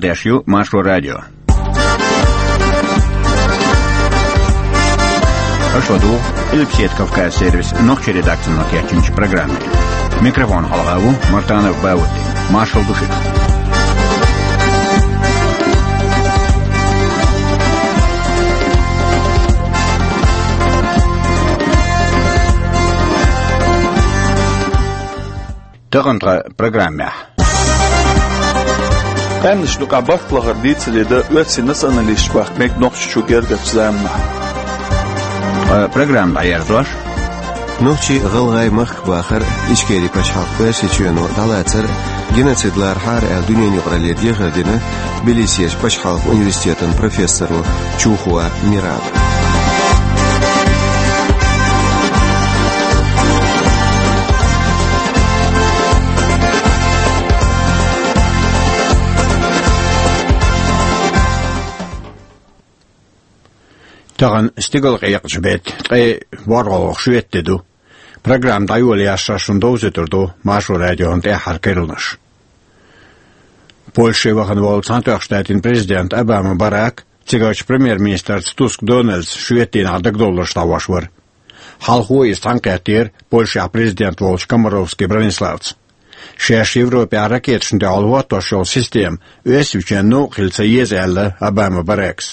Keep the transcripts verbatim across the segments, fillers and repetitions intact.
Деш ю Маршо радио. Аша ладугӀу Къилбаседа Кавказ сервисан нохчийн редакцино кечйинчу программе. Микрофон хьалха ву Мартанов Баудди. Маршалла ду шуьга. Тахана тхан программехь. Къаьмнашна юкъахь барт лахар дийцаре дан оьрсийн националисташ бахка мега Нохчийчу гергарчу заманахь. Ткъа программа дӀаерзош. Нохчий-гӀалгӀай махка бахар Ичкерин пачхьалкх Оьрсийчоьно дӀалацар геноцид лархьара аьлла дуьненан юкъаралле дехар дина Тбилисерчу пачхьалкхан университетан профессоро Чухова Мирала. Тахана стигалкъекъачу беттан ткъе ворхӀалгӀа шоьтан де ду. Программа дӀайолаяьлча шуна довзуьйтур ду Маршо радион тӀаьххьара керланаш. Польше вахана волу Цхьаьнатоьхначу Штатийн президент Обама Барак цигарчу премьер-министрца Туск Дональдца шоьтан дийнахь дагадовларш дӀахьош вара. Хьалхо иза цхьаьнакхеттера Польшехь президент волчу Комаровский Браниславца. Шаьш Европехь ракеташна дуьхьал хӀоттош йолу система Оьрсийчоьнна новкъа хила ца еза аьлла Обама Баракас.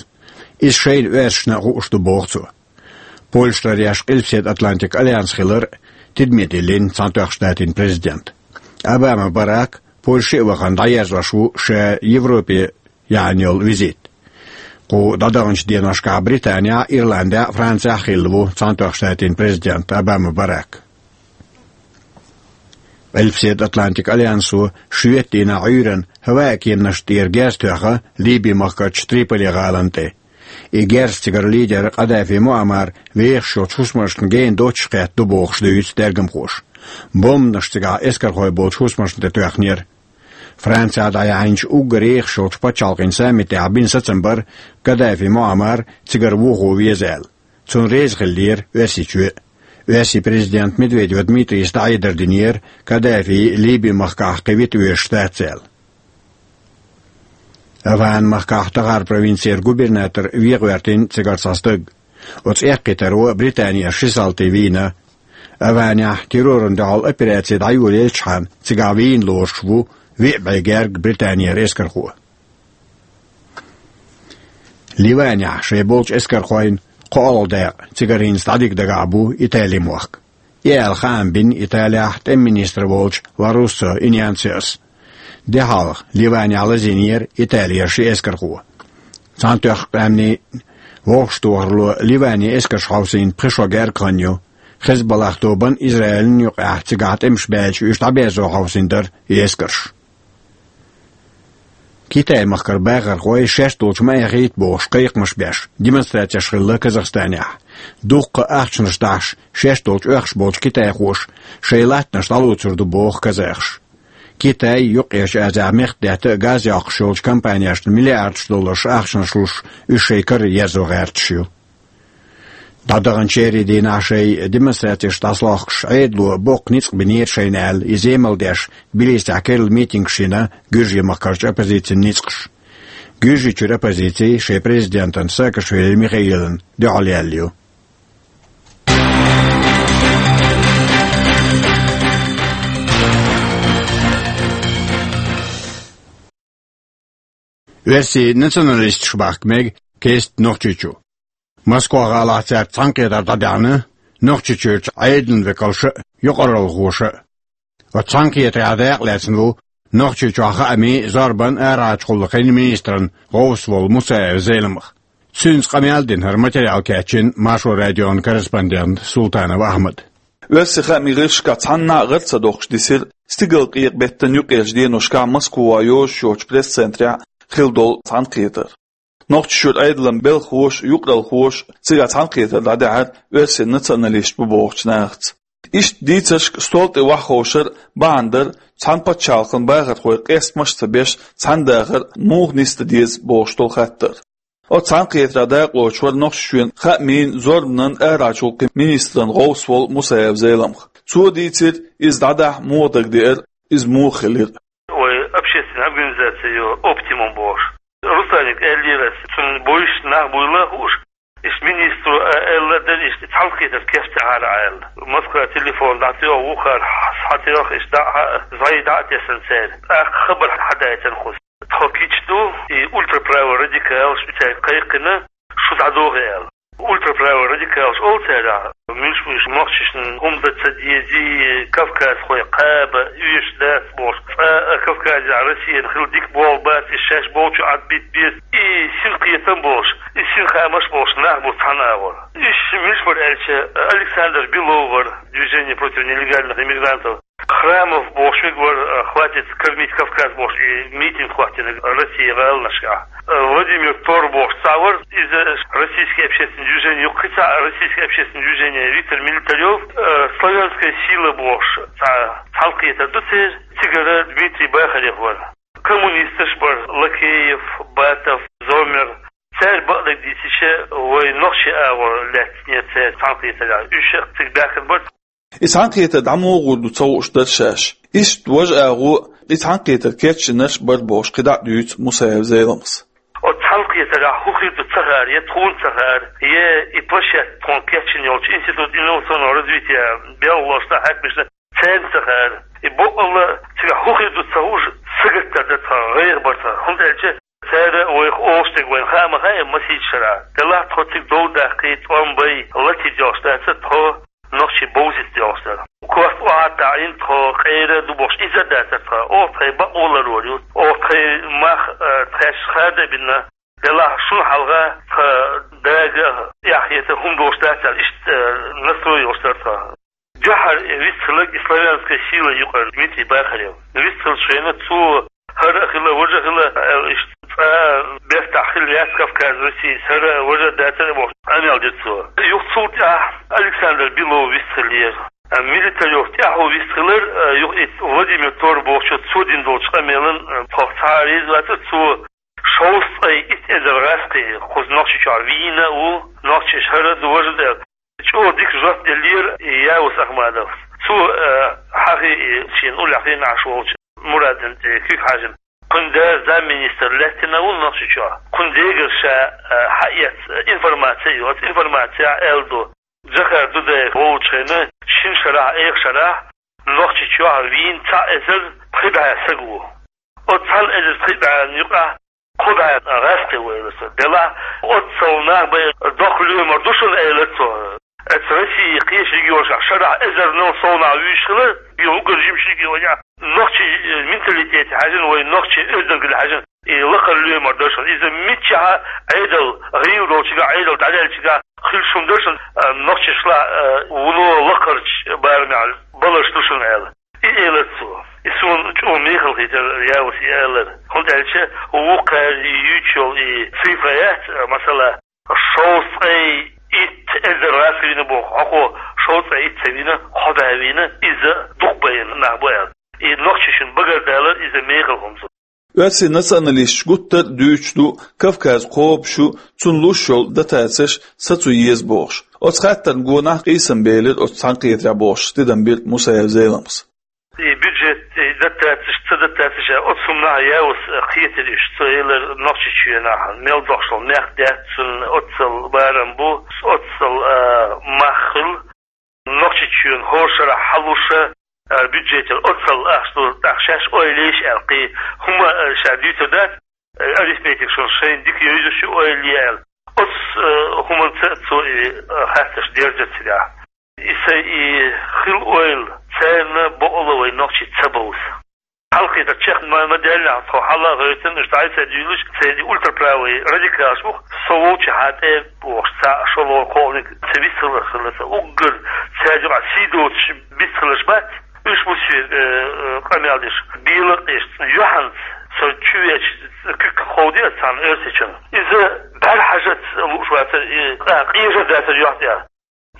Иза шайна оьрсашна а хууш ду, боху цо. Польша ларъеш Къилбаседа Атлантикан альянс хилар тидаме диллина Цхьаьнатоьхначу Штатийн президент. Обама Барак Польше а вахана дӀаерзош ву ша Европе яьхьна йолу визит. Кху дӀадаханчу деношкахь Британехь а, Ирландехь а, Францехь а хилла ву Цхьаьнатоьхначу Штатийн президент Обама Барак. Къилбаседа Атлантикан альянсо шоьтан дийнахь Ӏуьйранна хӀаваан кеманашна тӀера герз тоьхна Ливин махкарчу Триполи гӀалина тӀе. И герз цигара лидер Къадафи Муаммар вехаш йолчу хӀусамашна гена доццуш кхетта ду бохуш дуьйцу тергамхоша. Бомбанаш цигахь эскархой болчу хӀусамашна тӀе тоьхнера. Францехь дӀаяьхьначу уггар ехаш йолчу пачхьалкхийн саммитехь бина сацам бара Къадафи Муаммар цигара вухо веза аьлла. Цунна реза хиллера Оьрсийчоь а. Оьрсийн президента Медведев Дмитрийс дӀахьедар динера, Къадафи Ливин махкахь кхин вита везаш дац аьлла. Афган-махкахь Тахар провинцера губернатор вен гӀоьртина цигара цхьа стаг. Оцу эккхийтаро Британера ши салти вийна. Афганехь террорна дуьхьал операци дӀайолаелчхьана цигахь вийна лоруш ву виъ бӀе герга Британера эскархо. Ливанехь шайн болчу эскархойн кхоалгӀа дакъа цигара хӀинца дӀадига дагахь бу Италин мохк. И аьлла хаам бина Италехь тӀеман министр волчу Ларуссо Иньянсиос. Де хьалха Ливанехь лазийнера Италера ши эскархо. Цхьаьнатоьхначу Къаьмнийн вовшахтохаралло Ливанин эскарш хьовсийна пхи шо герга хан ю. Хезболлах тобанан, Израилан юкъахь цигахь тӀемаш баьлча уьш дӀаберзо хьовсийна дара и эскарш. Китай-махкара бахархой шаьш долчу ма эхийта бохуш кхайкхамаш беш демонстрацеш хилла Казахстанехь. Дуккха а ахчанаш дахьаш, шаьш долчу оьхуш болчу китайхоша шайн латтанаш дӀалоцур ду боху казахаша. Китай Юккъерчу Азехь мехкдаьтта а, газ йоккхуш йолчу компанешна миллиардаш долларш ахчанаш луш, уьш шайн кара ерзо гӀерташ ю. ДӀадаханчу шерийн дийнахь шайн демонстрацеш дӀасалохкуш, Ӏедало боккха ницкъ бинера шайна аьлла, иза емал деш, Тбилисехь керла митингаш йина Гуьржийн махкарчу оппозицин ницкъаша. Гуьржийчуьра оппозици шайн президентан Саакашвили Михаилан дуьхьал яьлла ю. Оьрсийн националисташ бахка мега кеста Нохчийчу. Москва-гӀалахь цаьрца цхьаьнакхетар дӀадаьхьна Нохчийчуьрчу Ӏедалан векалша а, юкъаралхоша а. Оцу цхьаьнакхетарехь дакъа лаьцна ву Нохчийчохь хаамийн, зорбанан, арахьарчу гӀуллакхийн министран гӀовс волу Мусаев Зеламха. Цуьнца къамел дина хӀара материал кечйина Маршо радион корреспондента Султанов Ахьмада. Оьрсийн хаамийн гӀирсашкахь цхьанна а гӀара ца доккхуш дисира стигалкъекъа беттан юккъерчу деношкахь Москвахь йозуш йоцчу пресс-центрехь хилла долу цхьаьнакхетар. Нохчийчуьра Ӏедалан белхахоша а, юкъаралхоша а цигахь цхьаьнакхетар дӀадаьхьира оьрсийн националисташ бу бохучу нахаца. Иштта дийцаршка стол тӀе охьаховшар бахьана дара цхьана пачхьалкхан бахархой къестамаш а ца беш цхьаьна дахар муха нисдан деза бохуш долу хаттар. Оцу цхьаьнакхетарехь дакъалоцуш вара Нохчийчоьнан хаамийн, зорбанан, арахьарчу гӀуллакхийн министран гӀовс волу Мусаев Зеламха. Цо дийцира, иза дӀадахьа муха дагадеара, иза муха хилира. Ой, общественная организация, её, «Оптимум» бохуш. аьллера ас. Цунна бовзаш нах буйла хууш, иштта министро а аьлла дара, иштта цхьаьнакхетар кечдехьара аьлла. Москва телефон дӀатоьху, вухар схьатоьху, иштта дӀа а, зӀай дӀа а тесна цара. ТӀаккха хабар хьадаьдина хӀанз. Тхо кийчду, и ультраправый радикалаш цаьрга кхайкхина, шу дӀадохьа аьлла. Ультраправый радикалаш олу цаьрах, муьлш-муьлш нохчашна хӀума дан ца дезий, кавказхой кхаба оьшуш дац бохуш, цкъа а Кавказехь Россиян хила дика болх бац, и шаьш болчу Ӏад битта беза, и синкхетам болуш, и синхамаш болуш нах бу цхьана агӀор. Уьш муьлш бара аьлча, Александр Белов вара, Движение против нелегальных иммигрантов, Храмов бохуш верг вара, э, «Хватит кормить Кавказ» бохуш, и митинг хӀоттийнарг Россин гӀаланашкахь. Э, Владимир Тор бохуш цхьаъ вара, иза российский общественный движение ю, кхин цхьа российский общественный движение Виктор Милитарёв, э, «Славянская сила» бохуш цхьа цхьаьнакхетар ду церан, цигара Дмитрий Бахарев вара. Коммунисташ бара Лакеев, Батов, Зомер. Цара бакъдерг дийцича, вай нохчийн агӀор лаьцна церан цхьаьнакхетарехь, уьш а цига баьхкина бара. И цхьаьнакхетар дӀа муха гӀур ду ца хууш дара шаьш. Иштта важа агӀо, и цхьаьнакхетар кечйинарш а бара бохуш, кхидӀа а дуьйцу Мусаев Зеламхас. Оцу цхьаьнакхетарехь хӀун хир ду ца хаьара, я тхуна ца хаьара, я и площадка тхуна кечйина йолчу Институт инновационного развития белхалошна, хьаькамашна, царна ца хаьара. И бакъалла цигахь хӀун хир ду ца хууш, сагатдар дара тхан, гӀайгӀа бара тхан, хӀунда аьлча цара вайх олуш дерг вайна хаа ма хаьа масийттаза шарахь. Делахь тхо цига дов даккхий, тӀом бай, латийта йолуш дацара тхо, нохчий бовзийта йолуш дара. Корта охьа а таӀийна тхо, къера а ду бохуш, иза а дацара тхан. Оха тхайн бакъо ларор ю, оха тхайн мах, э, тхаьш хада а бина, делахь шуна хьалха тхан дага эхь хетар хӀума долуш дац аьлла, иштта, э, настрой йолуш дара тхан. Дуьххьара вистхилларг и «Славянская сила» юкъара Дмитрий Бахарев. Вистхиллачу хенахь цо хӀара а хила, важа а хила, аьлла, иштта цкъа бертахь хилла яц Кавказ Россис, хӀара а важа а дацара бохуш, къамел дира цо. Юха цул тӀаьхьа Александр Белов вистхиллера. Милитарёв тӀаьхьо вистхиллера, юха и Владимир Тор бохучо цо дина долчу къамелан тхох цхьа а реза вацара, цо шовзткъе итт эзар гӀаьскхи кхуза Нохчийчохь вийна а ву, нохчаша хӀара а ду, важа а ду аьлла. ЧӀогӀа дика жоп деллера Яус Ахмадовс. Цо, э, хьахий, шена уллехь хенахь волчу Мурадна тӀе куьг хьаьжна. Кхуьнан да замминистр лаьттина а ву Нохчийчохь. Кхуьнан дегара ша, э, хьаэца информаци а ю. Оцу информацехь аьлла ду, Джохар Дудаев волучу хенахь шина шарахь, эха шарахь Нохчийчохь вийна цхьа эзар пхи бӀе стаг ву. Оцу цхьана эзар пхи бӀенна юкъахь кхо бӀе гӀаьскхи ву, элира цо. Делахь оццул нах бен доккха лоьмар ду шуна, элира цо. Оцу Россин кхечу регионашкахь шарахь эзарнал сов нах вуьйш хилар, и уггар жимачу регионехь, нохчийн, э, менталитете хьаьжна, вайн нохчийн оьздангалле хьаьжна, и лакхара лоьмар дара шуна. Иза миччахьа Ӏедал, гӀийла долчуьнгахь, Ӏедал дӀадаьллачуьнгахь хилла шуна дара шуна, э, нохчашлахь, э, вуно лакхарчу барамехь баларш ду шуна аьлла. И элира цо. И суна чӀогӀа мехала хийтира, Яус, и аьлларг. ХӀунда аьлча вукхара юьйцуш йолу и цифра яц, масала, шовзткъе итт эзар гӀаьскхи вийна боху, хӀокхо шовзткъе итт ца вийна, кхо бӀе вийна, иза дукха байна нах бу аьлла. И нохчашна багардалар иза мехала хӀума ду. Оьрсийн националисташ гуттар а дуьйцуш ду, Кавказ кхобуш ю, цунна луш йолу дотацеш сацо еза бохуш. Оцу хаттарна гонах къийсам белира оцу цхьаьнакхетарехь бохуш, тидам бира Мусаев Зеламхас. И бюджет, и дотацеш, ца дотацеш, оцу хӀуманах Яус кхетира уьш. Цо элира, Нохчийчоьнахь мел догӀуш долу мехк дац, цунна оццул барам бу, оццул, а, мах хила. Нохчийчоьнан хӀора шарахь хьалуш, а, бюджетера оццул ахча ду, тӀаккха шаьш ойла еш аьлла, кхин хӀума, а, ша дуьйцур дац, а, арифметика шуна шайна дика йовзуш ю, ойла е аьлла. Оцу, а, хӀуманца цо и, а, хаттарш дерзира цигахь. И сайн и хилла ойла царна бакъалла вайн нохчий ца бовза. Хьалхе дан чекх ма, ма даьллехь, тхо хьала а гӀевттина, уьш дӀасадуьйлуш, церан ультраправый радикалаш бу-кх, со волчу хьан тӀе бохуш, цхьа а шолгӀа кхоъниг ца вистхилар хилла ца. Уггар цаьрга юкъахь сий доцуш бистхиларш бац, уьш бу соьга, э, э, къамел деш, белакъеш, юьхьанца со чу веача, куьг кховдийра цхьана оьрсичунна. Иза бӀаьрхьажаца лууш вацара, и къа-, къежар дацара юьхь тӀехь.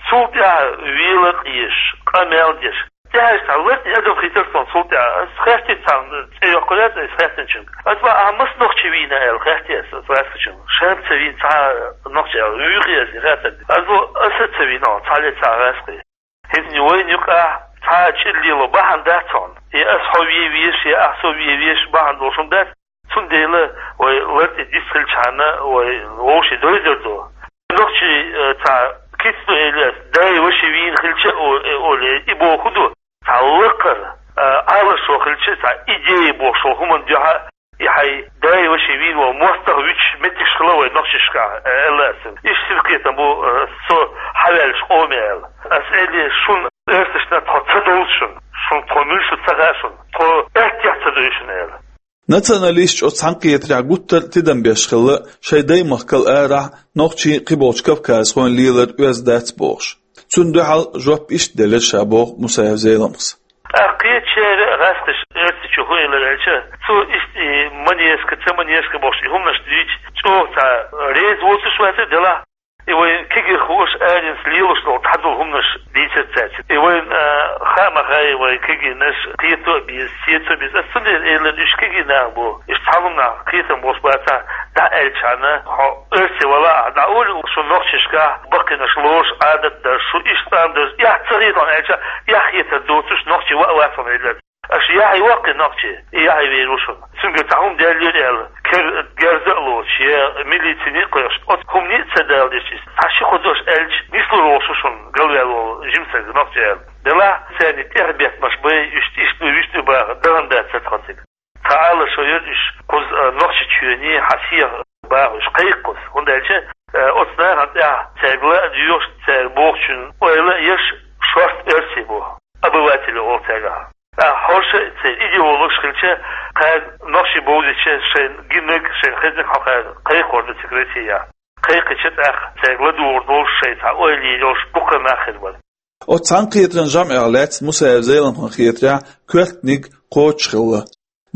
Цул тӀаьхьа велакъеш, къамел деш. ТӀаьхьа цхьа латта адам хийтира тхуна цул тӀаьхьа. Ас хаьттира цхьана, цӀе йоккхур яц ас хаьттинчуьнга. Ас ма, ахьа маса нохчи вийна аьлла хаьттира ас, ас гӀаьскхичунга. Ша ца вийна цхьа нохчи аьлла. Вуьйхи ас и хаьттар. Ас бо, аса ца вийна, цхьа ле цхьа гӀаьскхи. ХӀинца вайна юкъахь цхьа а чӀир лело бахьана дац хьуна. Я ас хьо вен везаш, я ахьа со вен везаш бахьана долуш хӀума дац. Цундела вай лар тӀе дисхилчхьана вай вовше дойзар ду. Нохчий, э, цхьа кицну элиас, дай ваше вийна хилча, о-, э, оле, и боху ду. Цхьа лакхара, э, Ӏалашо хилча, цхьа идея бохуш хӀуман дуьхьа, и хьай дай ваше вийна вал мостагӀа вича меттигаш хила вай нохчашка, э, элла асан. Иш сиркхетам бу, э, со хьаваьллаш къоме аьлла. Ас эле шун эрсашна тхо ца довлу шун, шун тхо муьлшу ца ха шун, тхо аьттех ца дуй шун аьлла. Националисташ оцу цхьаьнакхетарехь гуттар а тидам беш хилла, шайн даймахкал арахь нохчий кхиболчу кавказхойн лелар оьзда дац бохуш. Цунна дуьхьал жоп иштта делира ша боху Мусаев Зеламхас. ТӀаккха кхечара гӀаскхаш оьрсичу хӀун элира аьлча, цо иштта и манежка, ца манежка бохуш и хӀуманаш дуьйцу, чӀогӀа цхьа реза воцуш вацара делахь, и вайн кегийрхоша аренца лелош долу дӀадолу хӀуманаш дийцира цаьрца. И вайн, а, хаа ма хаьа, вайн кегийнаш кхето а беза, сецо а беза. Ас цундела элира, уьш кегий нах бу, уьш цхьаллам нах кхетам болуш бацахь, дӀа аьллачхьана, хьо оьрси вала ахь, дӀа олий шун нохчашкахь баккхийнаш лоруш, Ӏадат дар, шу иштта ам дар, эхь ца хетахь аьлча, эхь хетар доцуш нохчи ваа вацахь элира. Аша яхье ваккхи нохчи, и яхье вер ву шуна. Цуьнгара цхьа хӀума даьллера аьлла, кер-, герза а лоцуш, я милицине а кхойкхуш, оцу хӀумане а ца далалуш иза. Цхьа ши-кхо дош аьлча, нислур волуш ву шуна галваьлла волу жимсаг нохчи аьлла. Делахь, царна тӀехбеттамаш бай, уьш иштта ду, вуьшта ду баха, дахана дац ца тхо цига. Цхьа Ӏалашо йира уьш, кхуза, а, Нохчийчоьне хьан сехьа баха уьш кхайкха кхуза. ХӀунда аьлча, а, оцу нахана тӀехь цаьрга ла а доьхуш, цара бохучун ойла а еш, шорта оьрси бу, обыватели олу цаьргахь. ТӀаккха хӀорша а церан идеологаш хилча, кхара нохчий бовзийча шайн гиннаг, шайн хезнаг хьокхара кхайкхор ду цига Россия. Кхайкхича тӀаккха цаьрга ладугӀур долуш шайн цхьа ойла йолуш дуккха нах хир бара. Оцу цхьаьнакхетаран жамӀех лаьцна Мусаев Зеламхан хетарехь коьртаниг кхочуш хилла.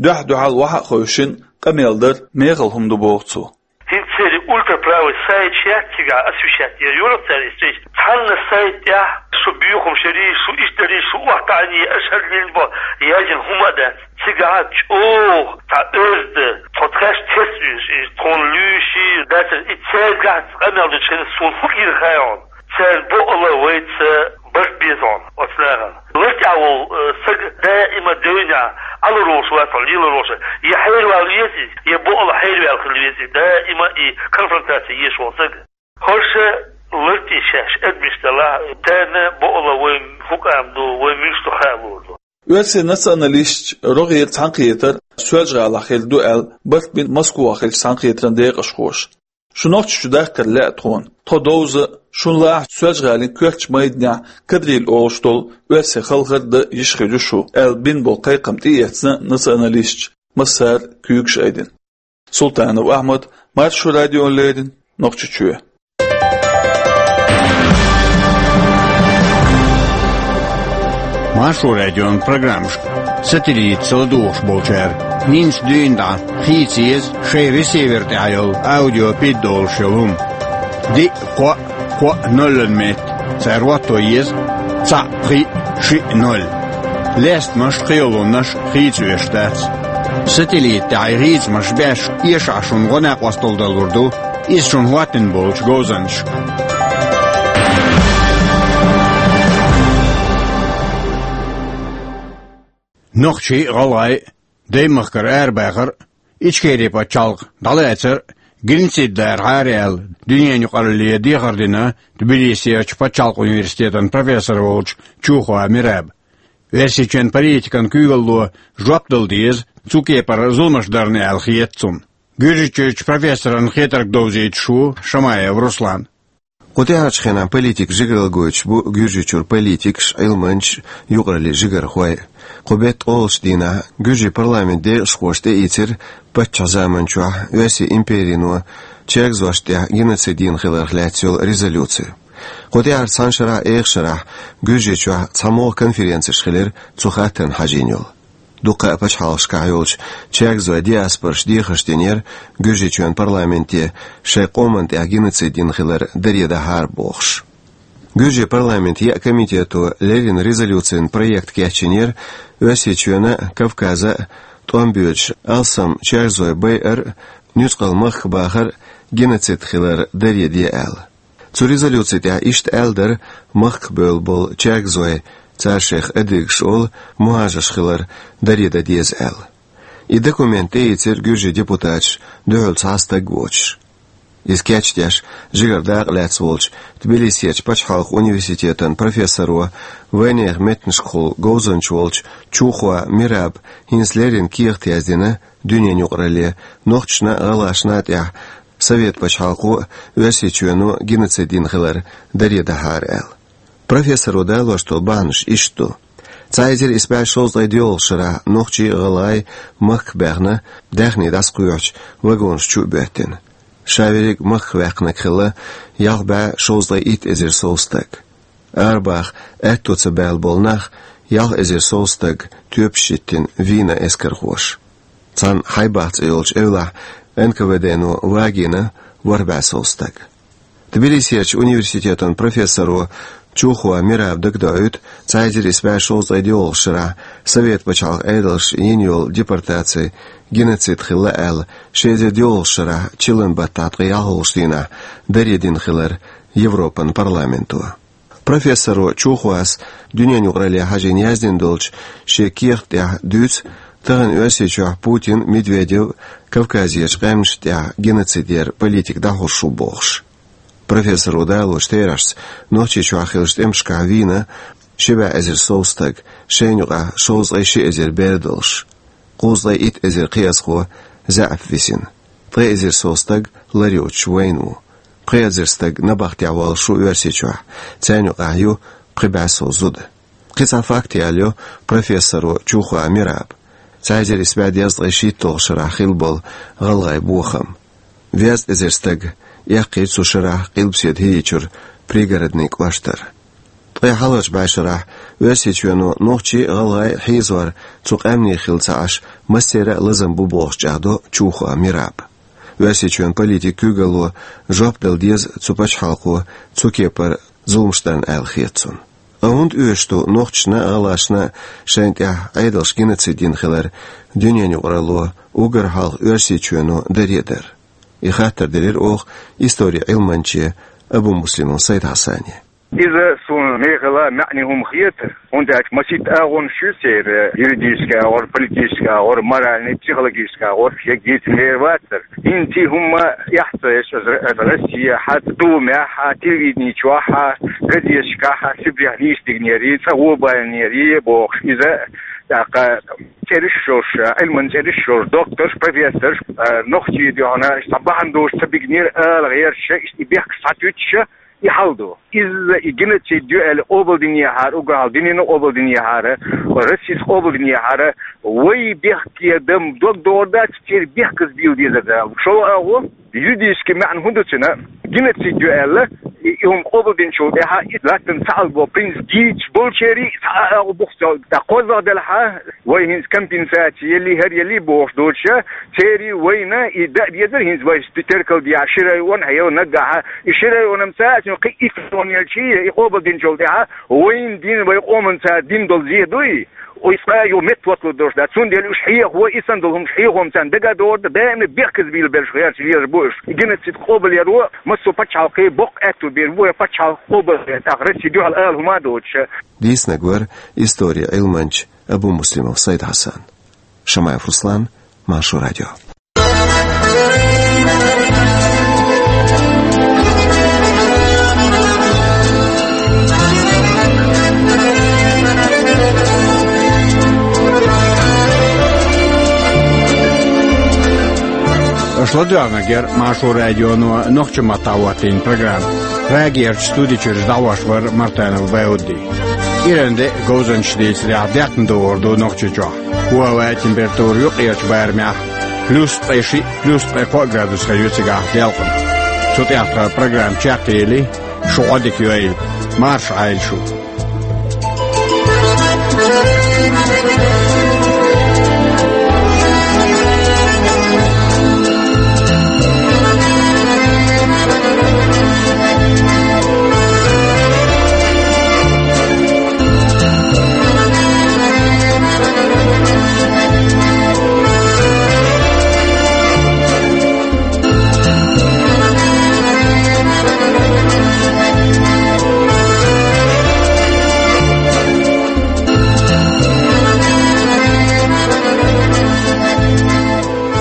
Дуьхь-дуьхьал вахьа а хевшина, къамел дар мехала хӀума ду боху цо. ХӀинца церан ультраправый сайт яц цигахь освещать яр, юрах цара и встреча. Цхьанна сайт тӀехь шу боьхамаш ярий, шу иштта дарий, шу охьатаӀаний, аша хӀара лелла бо, яздина хӀума а дац. Цигахь чӀогӀа цхьа оьзда, тхо тхаьш терс уьйш, и тхуна луьйший, дацар и цаьргахь къамел ду чхина суна хӀун гира хаьий хьуна? Цара бакъала вайца барт беза хьуна оцу нахана. Лар тӀехь волу, э, саг даима девнехь Ӏалур волуш вац хьо, лелар волуш. Я хьервала веза иза, я бакъала хьерваьлла хила веза иза. Даима и конфронтация еш волу саг. ХӀорша лар тӀе шаьш адамаш далахь, тайна бакъала вайн хӀу къам ду, вайн муьлш ду хаа луур ду. Оьрсийн националисташ рогӀера цхьаьнакхетар Соьлжа-ГӀалахь хир ду аьлла, барт бина Москвахь хиллачу цхьаьнакхетаран декъашхоша. Шу Нохчийчу дахкар лаьа тхуна. Тхо довза, шуна лаахь Соьлжа-ГӀалин коьртачу майданехь Кадриль олуш долу оьрсийн халхар дан йиш хир ю шу, аьлла бина болу кхайкхам тӀеэцна националисташа, массара куьйгаш айдина. Султанов Ахьмад, Маршо радиона леррина, Нохчийчоь. Маршо радион программашка сателлитаца ладугӀуш болчара, хӀинца дуьйна дӀа хийца еза шайн ресивер тӀехь йолу аудио пид долуш йолу хӀума. Диъ, кхоъ, кхоъ, нолан метта. Цара хӀотто еза цхьаъ, пхиъ, шиъ, ноль. Лестамаш а, кхийолунаш а хийца веш дац. Сателлит тӀехь и хийцамаш беш, эшахь шуна гӀо-накъосталла далур ду иза шуна хӀоттийна болчу говзанчашка. Нохчий а, гӀалгӀай а даймахкара арабахар а, Ичкери пачхьалкх дӀалацар а геноцид лархьара аьлла, дуьненан юкъаралле дехар дина Тбилисерчу пачхьалкх университетан профессор волчу Чухова Мераба. Оьрсийчоьнан политикан куьйгалло жоп дала деза цу кепара зуламаш дарна аьлла хета цунна. Гуьржийчуьрчу профессоран хетарг довзуьйтуш ву Шамаев Руслан. Кху тӀаьхьарчу хенахь политикан жигаралла гойтуш бу Гуьржийчуьра политикаш, Ӏилманчаш, юкъараллин жигархой. Кху беттан олучу дийнахь Гуьржийн парламентан декъашхоша тӀеийцира паччахьан заманчохь Оьрсийн империно чергазошна тӀехь геноцид йина хиларх лаьцна йолу резолюци. Кху тӀаьхьарчу цхьана шарахь, эха шарахь Гуьржийчохь цхьа могӀа конференцеш хилира цу хаттарна хьажийна йолу. Дуккха а пачхьалкхашкахь йолчу чергазойн диаспораша дехарш динера Гуьржийчоьнан парламенте шайн къоманна тӀехь геноцид йина хилар даре дахьара бохуш. Гуьржийн парламентан еа комитето леррина резолюцин проект кечйинера Оьрсийчоьнан а, Кавказан а тӀом боьдуш алсам чергазой байар а, нуьцкъала махка бахар а геноцид хилар даре де аьлла. Цу резолюци тӀехь иштта аьлла дара махках бевлла болу чергазой, цара шайх адыгаш олу, мухӀажарш хилар даре дан деза аьлла. И документ тӀеийцира гуьржийн депутаташ, дуьхьал цхьа стаг воцуш. Иза кечдеш, жигара дакъа лаьцна волчу Тбилисерчу пачхьалкхан университетан профессоро, вайнехан меттанашкахула говзанча волчу Чухоа Мираба хӀинца леррина кехат яздина дуьненан юкъаралле, нохчашна а, гӀалгӀашна а тӀехь Совет пачхьалкхо а, Оьрсийчоьно а геноцид йина хилар даре дахьара аьлла. Профессоро далош долу бахьанаш иштта ду. Цхьа эзар исс бӀе шовзткъе доьалгӀачу шарахь нохчий а, гӀалгӀай а махках баьхна, даьхни дӀасакхоьхьучу вагонаш чу а боьттина. Ша верриг а махках ваьккхинарг хилла ялх бӀе шовзткъе итт эзар сов стаг. Арабаха аьтто ца баьлла болу нах ялх эзар сов стаг тоьпаш йиттина вийна эскархоша. Цхьана Хьайбах цӀе йолчу эвлахь Н К В Д-но вагийна ворхӀ бӀе сов стаг. Тбилисерчу университетан профессоро Чухоа Мираба дагадоуьйту цхьа эзар исс бӀе шовзткъе доьалгӀачу шарахь Совет пачхьалкхан Ӏедалша йина йолу депортаци геноцид хилла аьлла, ши эзар доьалгӀачу шарахь чиллан баттахь ткъе ялхолгӀачу дийнахь даре дина хилар Европан парламенто. Профессоро Чухоас дуьненан юкъаралле хьажийна яздина долчу шен кехат тӀехь дуьйцу, тахана Оьрсийчохь Путин, Медведев Кавказерчу къаьмнашна тӀехь геноцид яран политика дӀахьуш ву бохуш. Профессоро далочу терахьашца, Нохчийчохь хиллачу тӀемашкахь вийна ши бӀе эзар сов стаг, шайна юкъахь шовзткъе ши эзар бер долуш. Кхузткъе итт эзар кхиазхо заьӀап висина. Ткъе эзар сов стаг лар йоцуш вайна ву. Пхи эзар стаг набахтехь воллуш ву Оьрсийчохь, царна юкъахь ю пхи бӀе сов зуда. Кхин цхьа факт ялайо профессоро Чухоа Мираба. Цхьа эзар исс бӀе дезткъе шийтталгӀачу шарахь хилла болу гӀалгӀайн бохам. Везткъа эзар стаг эккхийча цу шарахь Къилбаседа ХӀийийчуьра Пригородный кӀоштара. Ткъе хьалхарчу бӀешарахь Оьрсийчоьно нохчий а, гӀалгӀай а хьийзор цу къаьмнийн хилла ца Ӏаш, массеран а лазам бу бохуш чӀагӀдо Чухоа Мираба. Оьрсийчоьнан политикан куьйгалло жоп дала деза цу пачхьалкхо цу кепара зуламаш дарна аьлла хета цунна. Ткъа хӀунда оьшуш ду нохчашна а, гӀалгӀашна а шайна тӀехь Ӏедалша геноцид йина хилар дуьненан юкъаралло, уггар хьалха Оьрсийчоьно даре а дар? И хаттар делира оха историн Ӏилманче Абумуслимов Сайд-Хьасане. Иза суна мехала маьӀне хӀума хета, хӀунда аьлча масийтта агӀонаш ю церан: юридический агӀор, политический агӀор, моральный, психологический агӀор, шега дийца мера вацара. ХӀинца и хӀума эхь ца еш, аса, аса Россехь а, Думехь а, телевидени чохь а, газеташкахь а, Сибрехь нийса дигнера, цкъа гӀо баьллера бохуш, иза тӀаккха цӀераш йолуш, Ӏилман цӀераш йолуш докторш, профессорш, а, нохчий дуьхьал цхьа бахьана долуш ца бигнера ала гӀерташ, иштта и бехкаш схьатуьттуш, и хьал ду. Иза и геноцид ю аьлла къобалдинехьара, уггар хьалха дуьнено къобалдинехьара, Россис къобалдинехьара, вай бехке дан дог догӀур дац, церан бехказбийла дезар дац. ШолгӀа агӀо, юридически маьӀна хӀун ду цуьнан? Геноцид ю аьлла, и, и хӀума къобалдинчул тӀаьхьа и латтана цхьаалгӀа принцип гийча болчерий цхьа а агӀо бу-кх цо, тӀаккха кхозлагӀа делахь а, вай хӀинца компенсаци елли, хӀара елли бохуш доцуша, церий вайна и дан а дезара хӀинца вай теркал дехьа ши район а хьайо наггахь а, и ши район-м ца а, цуьнан кхин итт район елчий, и къобалдинчул тӀаьхьа вайна дина, вай къоманца дина долу зен дуй, и цкъа а юха меттахӀотта лур долуш дац. Цундела уьш хьехаво, и санна долу хӀумнаш хьехаво-м царна дага а догӀур дац, даимна бехказбийла берш гӀерташ лелаш бу уьш. И геноцид къобалъяро массо а пачхьалкхе боккха аьтту бен бу, я пачхьалкх къобалъяр, тӀаккха Росси дуьхьал ала хӀума а доцуша. Дийцинарг вара историн Ӏилманча Абумуслимов Сайд-Хьасан. Шамаев Руслан, Маршо радио. Аша ладоьгӀнарг яра Маршо радионо нохчийн маттахь хӀоттийна программа. Прагерчу студи чуьра дӀахьош вара Мартанов Баудди. Иран де а говзанчаш дийцарехь, даьккхина догӀур ду Нохчийчохь. ХӀаваан температура юккъерчу барамехь плюс ткъе шиъ, плюс ткъе кхоъ градус хир ю цигахь делкъана. Цу тӀехь тхан программа чекхъели, шу Ӏодика йойла. Марша Ӏойла шу.